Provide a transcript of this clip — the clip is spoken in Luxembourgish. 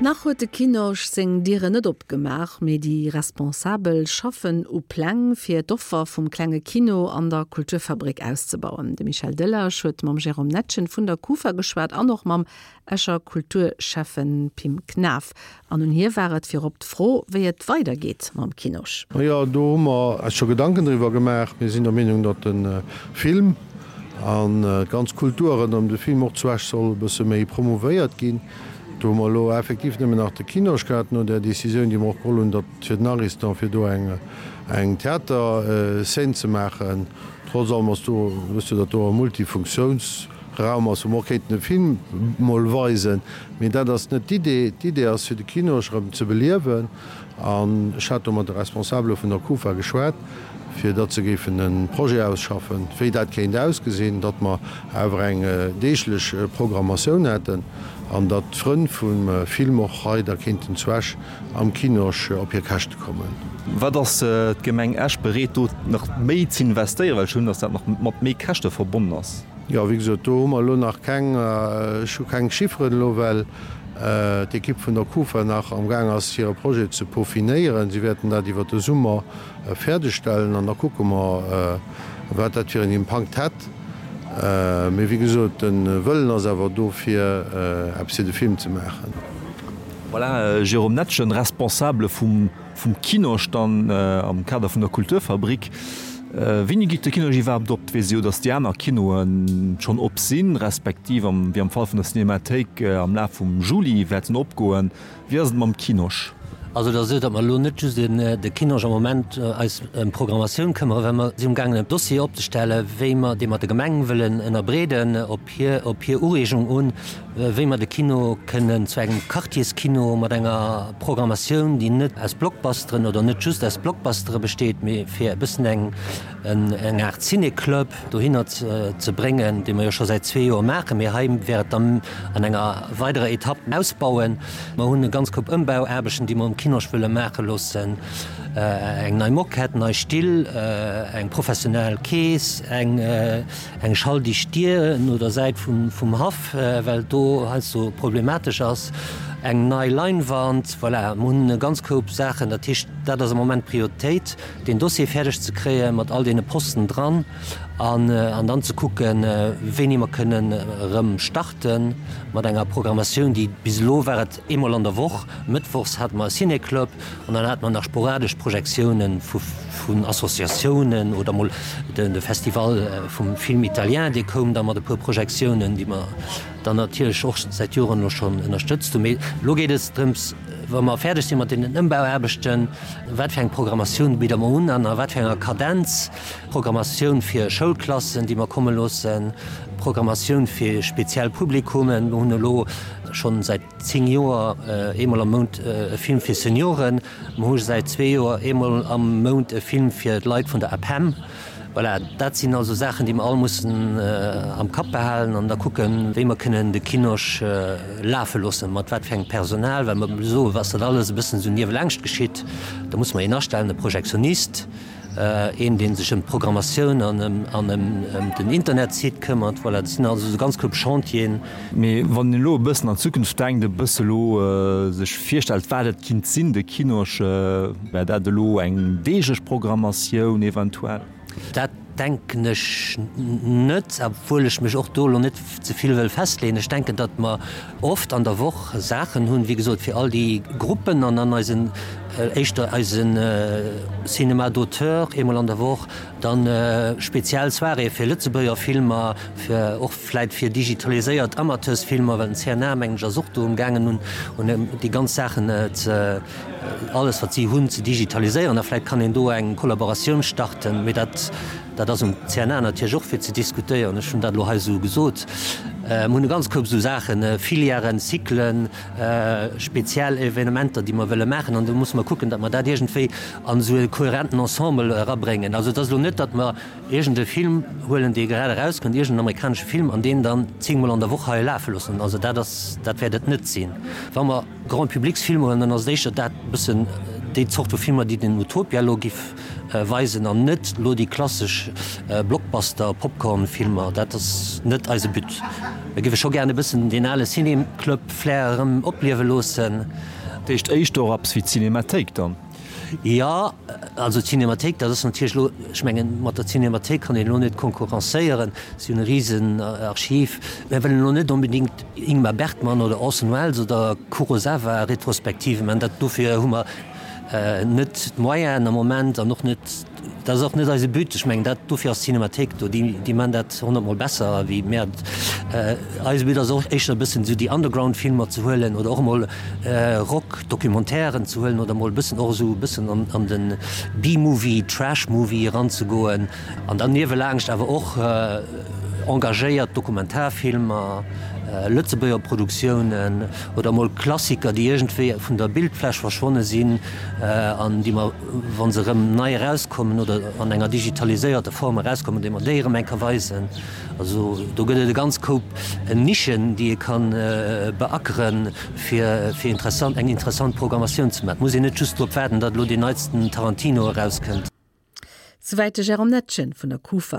Nach huet de Kinosch seng Dieren net opgemaach, mee déi Responsabel schaffen u Pläng, fir d'Offer vum klenge Kino an der Kulturfabrik auszebauen. De Michel Delage huet mam Jérôme Netgen vun der Kufa geschwat an och mam Escher Kulturschäffen Pim Knaff. An un hie war et virop d'Fro, wéi et weidergeet mam Kinosch. Jo, do hu mer eis scho Gedanken driwwer gemaach. Mir sinn der Meenung, datt de Film an d'ganz Kultur ronderëm de Film och zu Esch soll e bësse méi promouvéiert ginn. Do hu mer elo effektiv nëmmen nach de Kinosch gehat, no där Décisioun, déi mer och geholl hunn, datt fir den Ariston, fir do eng, eng Theaterscène ze maachen. Trotz allem ass do, wësst Dir, datt do e Multifunktiounsraum ass, wou mer och kéinten e Film mol weisen. Mee dat ass net d'Idee. D'Idee ass, fir de Kinosch erëm ze beliewen. An ech hat do mat de Responsabele vun der Kufa geschwat, fir datt se géifen e Projet ausschaffen, wéi dat kéint ausgesinn, datt mer awer eng deeglech Programmatioun hätten an datt d'Frënn vum Film och hei da kéinten zu Esch am Kinosch op hir Käschte kommen. Wat ass d'Gemeng Esch bereet do nach méi z'investéieren, well ech hunn, datt dat nach mat méi Käschte verbonnen ass? Jo, wéi gesot, do hu mer elo nach keng, ech hu keng Chifferen elo, well d'Ekipp vun der Kufa nach am Gaang ass, hire Projet ze peaufinéieren. Si wäerten dat iwwert de Summer fäerdegstellen an da kucke mer, wat dat fir en Impakt hätt. Mee wéi gesot, de Wëllen ass awer do, fir eppes fir de Film ze maachen. Voilà, Jérôme Netgen, Responsable vum Vum Kinosch dann am Kader vun der Kulturfabrik. Wéini geet de Kinosch iwwerhaapt op? Et weess ee jo, datt déi aner Kinoe schonn op sinn, respektiv am, wéi am Fall vun der Cinémathéik, am Laf vum Juli wäerten opgoen. Wéi ass et mam Kinosch? Also et ass esou, datt mer elo net just de Kinosch am Moment eis ëm d'Programmatioun këmmere, well mer si umgaangen en Dossier opzestellen, wéi mer dee mat der Gemeng wëllen ënnerbreeden op hir, op hir Ureegung un, wéi mer de Kino kënnen zu engem Quartierskino mat enger Programmatioun, déi net aus Blockbusteren oder net just aus Blockbustere besteet, mee fir e bëssen eng eng Aart Ciné-Club dohinner ze bréngen, dee mer jo scho säit zwee Joer maachen, mee hei wär et dann an enger weiderer Etapp ausbauen. Mer hunn e ganz Koup Ëmbauaarbechten, déi mer um Kinosch wëlle maache loossen, eng nei Moquette, nei Still, eng professionell Kees, eng. Eng schalldicht Dier no der Säit vum Haff, well et do heiansdo problematesch ass. Eng nei Leinwand. Voilà, mer hunn e ganz Koup Saachen. Dat heescht, dat ass am Moment d'Prioritéit, deen Dossier fäerdeg ze kréie mat all deene Posten dran an dann ze kucken, wéini mer kënnen erëm starte mat enger Programmatioun, déi bis elo war et eemol an der Woch, mëttwochs hate mer e Ciné-Club. An dann hate mer nach sporadesch Projektiounen vun Associatiounen oder mol de Festival vum Film italien, dee koum da mat e puer Projektiounen, déi mer dann natierlech och säit Joren elo schonn ënnerstëtzt hunn. Mee elo geet et drëms, wa mer fäerdeg si mat deenen Ëmbauaarbechten, wat fir eng Programmatioun bidde mer un an a wat fir enger Kadenz. Programmatioun fir Schoulklassen, déi mer komme loossen, Programmatioun fir speziell Publikummen. Mer hunn elo schonn säit 10 Joer eemol am Mount e Film fir Senioren. Mer hu säit zwee Joer eemol am Mount e Film fir d'Leit vun der APEM. Voilà, dat sinn also Saachen, déi mer all mussen am Kapp behalen an da kucken, wéi mer kënnen de Kinosch lafe loossen, mat wat fir engem Personal, well mer soen, ass dat alles e bëssen esou niewelaangscht geschitt. Da musse mer een astellen, e Projektionist. Een, dee sech ëm d'Programmatioun an ëm den Internetsite këmmert. Voilà, dat sinn also esou ganz koup Chantieren. Mee wann een elo e bëssen an d'Zukunft denkt, e bësse elo sech virstellt, wat et kinnt sinn, de Kinosch, wär dat elo eng deeglech Programmatioun eventuell? Dat denken ech net, obwuel ech mech och do elo net ze vill wëll festleeën. Ech denken, datt mer oft an der Woch Saachen hunn, wéi gesot, fir all déi Gruppen an dann eisen, éischter eisen Cinéma d'auteur eemol an der Woch, dann speziell Soiréeë fir Lëtzebuerger Filmer, fir och vläit fir digitaliséiert Amateursfilmer, well den CNA, mengen ech, ass och do umgaangen un un déi ganz Saachen ze, alles wat si hunn, ze digitaliséieren a vläit kann een do eng Kollaboratioun starten, mee dat, Dat ass um CNA natierlech och fir ze diskutéieren. Ech hunn dat elo hei esou gesot. Mir hunn e ganz Koup esou Saachen, Filièren, Cyclen, speziell Evenementer, déi mer wëlle maachen. An do musse mer kucken, datt mer dat iergendwéi an esou e kohärenten Ensemble erabréngen. Also et ass elo net, datt mer iergend e Film huelen, dee grad erauskënnt, iergend en amerikanesche Film, an deen dann zéngmol an der Woch hei lafe loossen. Also dat ass, dat wäert et net sinn. Wa mer Grand-publics-Filmer huelen, dann ass et éischter dat e bëssen. déi Zort vu Filmer, déi den Utopia elo giff weisen an net elo déi klassesch Blockbuster, Popcorn-Filmer. Dat ass net eise But. Mir géife scho gären e bëssen deen ale Ciné-Club-Flair erëm opliewe loossen. Dat heescht éischter och eppes wéi d'Cinémathéik dann? Jo, also d'Cinémathéik, dat ass natierlech elo, ech mengen, mat der Cinémathéik kann een elo net konkurrencéieren. Si hunn e risen Archiv. Mir wëllen elo net onbedéngt Ingmar Bergman oder Orson Welles oder Kurosawa Retrospektive man. Dat, dofir hu mer net d'Moyenen am Moment an och net, dat ass och net eise But. Ech mengen, dat, dofir ass d'Cinémathéik do. Déi, déi man dat honnertmol besser wéi mär. Eise But ass och éischter e bëssen esou déi Underground-Filmer ze huelen oder och emol Rock Documentairen ze huelen oder mol e bëssen och esou e bëssen an, an de B-Movie, Trash-Movie eranzegoen an dann niewelaangscht awer och engagéiert Dokumentarfilmer, Lëtzebuerger Produktiounen oder mol Klassiker, déi iergendwéi vun der Bildfläch verschwonne sinn an déi mer, wa se erëm nei erauskommen oder an enger digitaliséierter Form erauskommen, déi mer déi erëm eng Kéier weisen. Also do gëtt et e ganz Koup Nischen, déi ee ka beackeren, fir fir interessant, eng interessant Programmatioun ze maachen. Et muss een net just drop waarden, datt elo deen neitsten Tarantino erauskënnt. Souwäit de Jérôme Netgen vun der Kufa.